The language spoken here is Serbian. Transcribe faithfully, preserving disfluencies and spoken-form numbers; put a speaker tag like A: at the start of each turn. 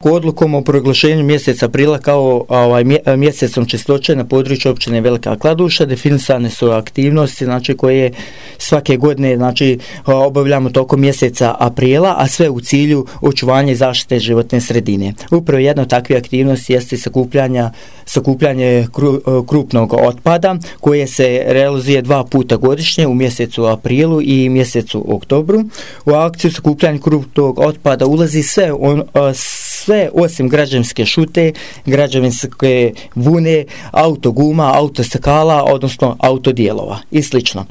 A: Odlukom o proglašenju mjeseca aprila kao ovaj, mjesecom čistoće na području općine Velika Kladuša definisane su aktivnosti, znači, koje svake godine, znači, obavljamo tokom mjeseca aprila, a sve u cilju očuvanja i zaštite životne sredine. Upravo jedna od takvih aktivnosti jeste sakupljanja, sakupljanje kru, krupnog otpada koje se realizuje dva puta godišnje u mjesecu aprilu i mjesecu oktobru. U akciju sakupljanja krupnog otpada ulazi sve on, sve osim građevinske šute, građevinske vune, autoguma, autostakala, odnosno autodijelova i slično.